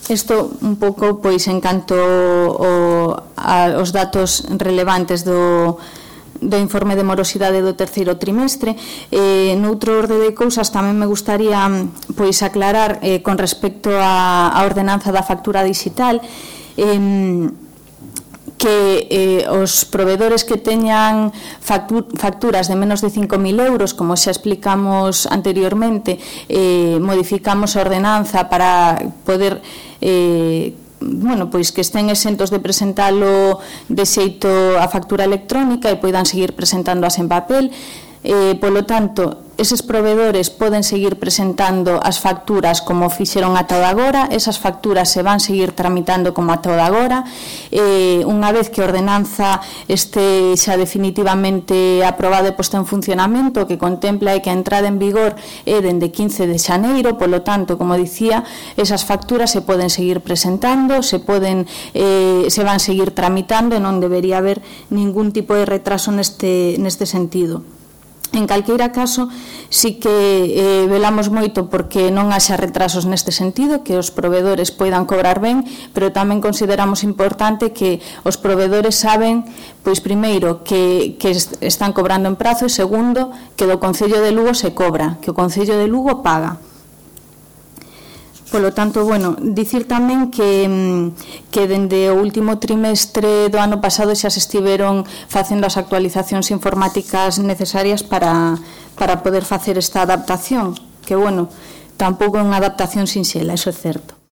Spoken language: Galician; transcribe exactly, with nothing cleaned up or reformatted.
Isto un pouco pois en canto o, a, os datos relevantes do, do informe de morosidade do terceiro trimestre. Eh, noutro orde de cousas tamén me gustaría pois aclarar eh, con respecto á ordenanza da factura digital, eh, que eh, os provedores que teñan facturas de menos de cinco mil euros, como xa explicamos anteriormente, eh, modificamos a ordenanza para poder eh, bueno, pois que estén exentos de presentalo de xeito a factura electrónica e poidan seguir presentándoas en papel. Eh, polo tanto, eses provedores poden seguir presentando as facturas como fixeron ata o de agora, esas facturas se van seguir tramitando como ata o de agora. Eh, unha vez que a ordenanza este xa definitivamente aprobada e posta en funcionamento, que contempla que a entrada en vigor é dende quince de xaneiro, polo tanto, como dicía, esas facturas se poden seguir presentando, se poden eh, se van seguir tramitando e non debería haber ningún tipo de retraso neste, neste sentido. En calqueira caso, si que eh, velamos moito porque non haxa retrasos neste sentido, que os provedores poidan cobrar ben, pero tamén consideramos importante que os provedores saben, pois primeiro, que, que están cobrando en prazo e segundo, que do Concello de Lugo se cobra, que o Concello de Lugo paga. Polo tanto, bueno, dicir tamén que, que dende o último trimestre do ano pasado xa se estiveron facendo as actualizacións informáticas necesarias para, para poder facer esta adaptación, que, bueno, tampouco é unha adaptación sinxela, iso é certo.